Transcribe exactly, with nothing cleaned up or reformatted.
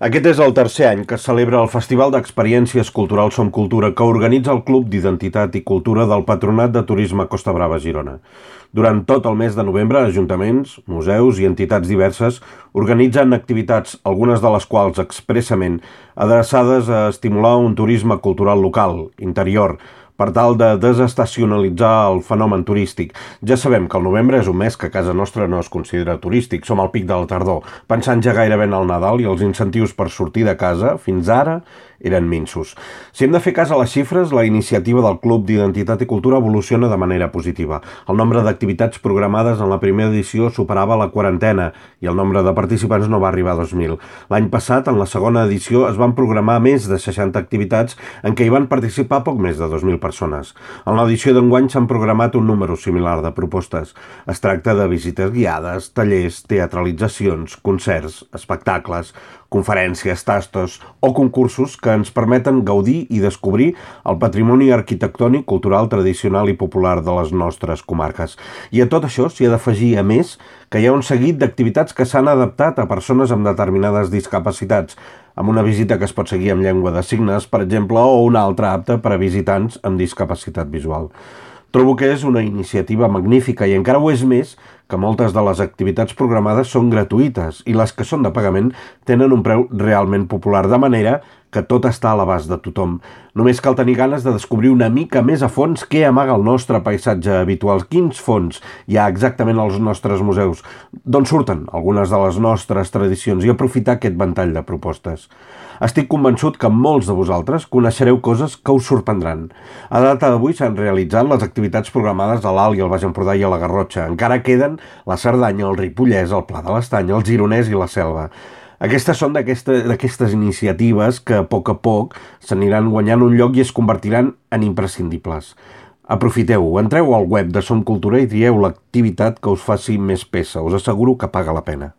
Aquest és el tercer any que es celebra el Festival d'Experiències Culturals Som Cultura que organitza el Club d'Identitat i Cultura del Patronat de Turisme Costa Brava Girona. Durant tot el mes de novembre, ajuntaments, museus i entitats diverses organitzen activitats, algunes de les quals expressament adreçades a estimular un turisme cultural local, interior, per tal de desestacionalitzar el fenomen turístic. Ja sabem que el novembre és un mes que a casa nostra no es considera turístic, som al pic de la tardor, pensant ja gairebé en el Nadal i els incentius per sortir de casa, fins ara, eren minsos. Si hem de fer cas a les xifres, la iniciativa del Club d'Identitat i Cultura evoluciona de manera positiva. El nombre d'activitats programades en la primera edició superava la quarantena i el nombre de participants no va arribar a dos mil. L'any passat, en la segona edició, es van programar més de seixanta activitats en què hi van participar poc més de dos mil persones. En l'edició d'enguany s'han programat un número similar de propostes. Es tracta de visites guiades, tallers, teatralitzacions, concerts, espectacles, conferències, tastos o concursos que ens permeten gaudir i descobrir el patrimoni arquitectònic, cultural, tradicional i popular de les nostres comarques. I a tot això s'hi ha d'afegir, a més, que hi ha un seguit d'activitats que s'han adaptat a persones amb determinades discapacitats, amb una visita que es pot seguir amb llengua de signes, per exemple, o una altra apta per a visitants amb discapacitat visual. Trobo que és una iniciativa magnífica i encara ho és més que moltes de les activitats programades són gratuïtes i les que són de pagament tenen un preu realment popular, de manera que tot està a l'abast de tothom. Només cal tenir ganes de descobrir una mica més a fons què amaga el nostre paisatge habitual, quins fons hi ha exactament als nostres museus, d'on surten algunes de les nostres tradicions i aprofitar aquest ventall de propostes. Estic convençut que molts de vosaltres coneixereu coses que us sorprendran. A data d'avui s'han realitzat les activitats programades a l'Alt i al Baix Empordà i a la Garrotxa. Encara queden la Cerdanya, el Ripollès, el Pla de l'Estany, el Gironès i la Selva. Aquestes són d'aquestes iniciatives que a poc a poc s'aniran guanyant un lloc i es convertiran en imprescindibles. Aprofiteu-ho, entreu al web de Som Cultura i trieu l'activitat que us faci més peça. Us asseguro que paga la pena.